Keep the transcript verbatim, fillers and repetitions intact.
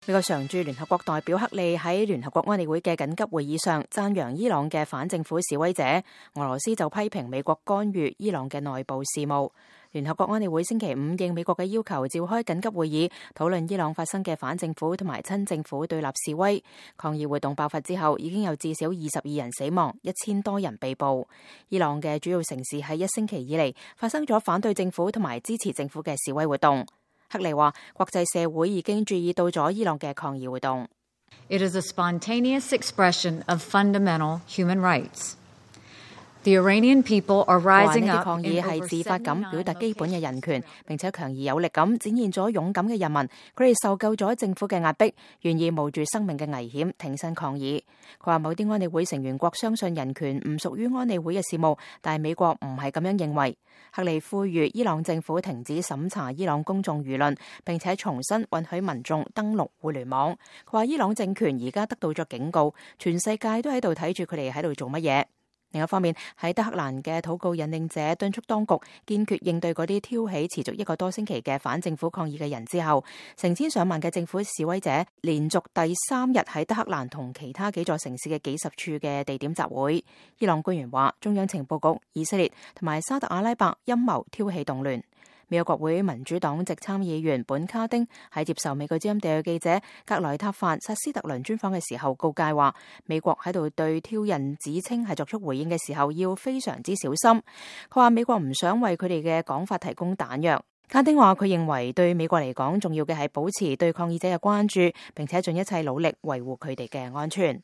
美國常駐聯合國代表克利喺聯合國安理會嘅緊急會議上讚揚伊朗嘅反政府示威者，俄羅斯就批評美國干預伊朗嘅內部事務。聯合國安理會星期五應美國嘅要求召開緊急會議，討論伊朗發生嘅反政府同埋親政府對立示威。抗議活動爆發之後，已經有至少二十二人死亡，一千多人被捕。伊朗嘅主要城市喺一星期以嚟發生咗反對政府同埋支持政府嘅示威活動。克利話，國際社會已經注意到咗伊朗嘅抗議活動。It is a spontaneous expression of fundamental human rights. The Iranian people are rising up. 抗議係自發咁表達基本嘅人權，並且強而有力咁展現咗勇敢嘅人民。佢哋受夠咗政府嘅壓迫，願意冒住生命嘅危險挺身抗議。佢話某啲安理會成員國相信人權唔屬於安理會嘅事務，但係美國唔係咁樣認為。克利呼籲伊朗政府停止審查伊朗公眾輿論，並且重新允許民眾登錄互聯網。佢話伊朗政權而家得到咗警告，全世界都喺度睇住佢哋喺度做乜嘢。另一方面，喺德黑蘭嘅禱告引領者敦促當局堅決應對嗰啲挑起持續一個多星期嘅反政府抗議嘅人之後，成千上萬嘅政府示威者連續第三日喺德黑蘭同其他幾座城市嘅幾十處嘅地點集會。伊朗官員話，中央情報局、以色列同埋沙特阿拉伯陰謀挑起動亂。美國國會民主黨籍參議員本卡丁喺接受美國之音地記者格萊塔范薩斯特倫專訪嘅時候告誡話，美國喺度對挑釁指稱係作出回應嘅時候要非常之小心。佢話美國唔想為佢哋嘅講法提供彈藥。卡丁話佢認為對美國嚟講重要嘅係保持對抗議者嘅關注，並且盡一切努力維護佢哋嘅安全。